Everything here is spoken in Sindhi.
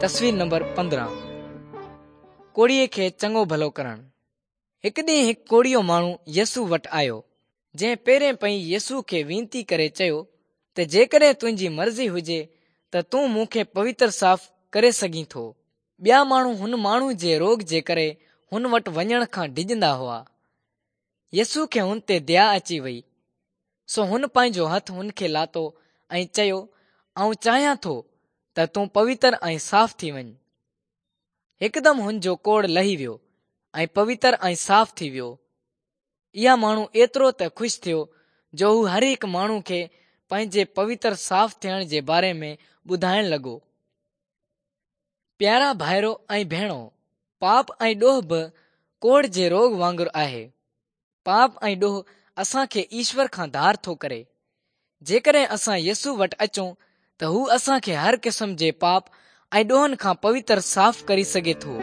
تصوير نمبر 15 ڪوڙهيء کي چڱو ڀلو ڪرڻ. هڪ ڏينهن هڪ ڪوڙهيو ماڻهو يسوع وٽ آيو، جنهن پيرين پئي يسوع کي وينتي ڪري چيو ته جيڪڏهن تنهنجي مرضي هجي ته تون مون کي پوتر صاف ڪري سگهين ٿو. ٻيا ماڻهو هن ماڻهو جي روڳ جي ڪري هن وٽ وڃڻ کان ڊڄندا هئا. يسوع کي هن تي ديا اچي وئي، سو هن پنهنجو هٿ هن کي لاتو ۽ چيو، آئون چاهيان ٿو ته تون پوتر ۽ صاف ٿي وڃ. هڪدم هن جو ڪوڙهه لهي ويو ۽ پوتر ۽ صاف ٿي ويو. اها ماڻهو ايترو ته خوش ٿيو جو هو هر هڪ ماڻهو کي پنهنجي پوتر صاف ٿيڻ جي باري ۾ ٻڌائڻ لڳو. پيارا ڀائرو ۽ ڀيڻو، پاپ ۽ ڏوهه به ڪوڙهه جي روڳ وانگر آهي. پاپ ۽ ڏوهه اسان کي ايشور کان ڌار ٿو ڪري. جيڪڏهن اسان يسوع وٽ اچون ته هو اسان کي هر قسم جي پاپ ۽ ڏوهن کان پوتر صاف ڪري سگهي ٿو.